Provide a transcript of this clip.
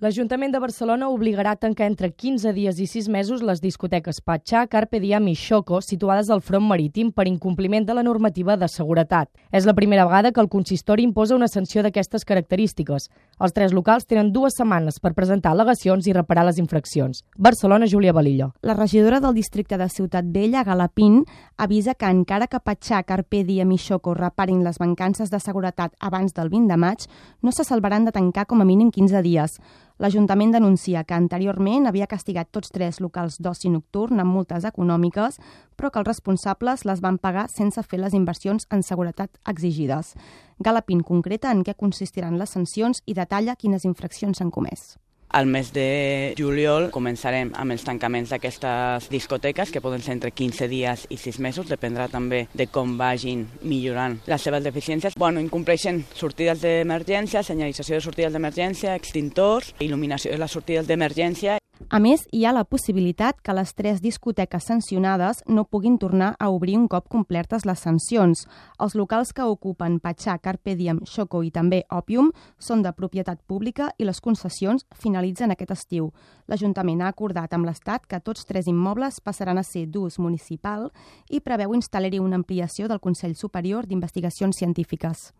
L'Ajuntament de Barcelona obligarà a tancar entre 15 dies i 6 mesos les discoteques Patxà, Carpe Diem i Xoco, situades al front marítim per incompliment de la normativa de seguretat. És la primera vegada que el consistori imposa una sanció d'aquestes característiques. Els 3 locals tenen 2 setmanes per presentar al·legacions i reparar les infraccions. Barcelona, Júlia Balillo. La regidora del districte de Ciutat Vella, Galapín, avisa que encara que Patxà, Carpe Diem i Xoco reparin les mancances de seguretat abans del 20 de maig, no se salvaran de tancar com a mínim 15 dies. L'Ajuntament denuncia que anteriorment havia castigat tots 3 locals d'oci nocturn amb multes econòmiques, però que els responsables les van pagar sense fer les inversions en seguretat exigides. Galapín concreta en què consistiran les sancions i detalla quines infraccions s'han comès. Al mes de juliol començarem amb els tancaments d'aquestes discoteques, que poden ser entre 15 dies i 6 mesos, dependrà també de com vagin millorant les seves deficiències. Incompleixen sortides d'emergència, senyalització de sortides d'emergència, extintors, il·luminació de les sortides d'emergència. A més, hi ha la possibilitat que les 3 discoteques sancionades no puguin tornar a obrir un cop complertes les sancions. Els locals que ocupen Patxà, Carpe Diem, Xoco i també Òpium són de propietat pública i les concessions finalitzen aquest estiu. L'Ajuntament ha acordat amb l'Estat que tots 3 immobles passaran a ser d'ús municipal i preveu instal·lar-hi una ampliació del Consell Superior d'Investigacions Científiques.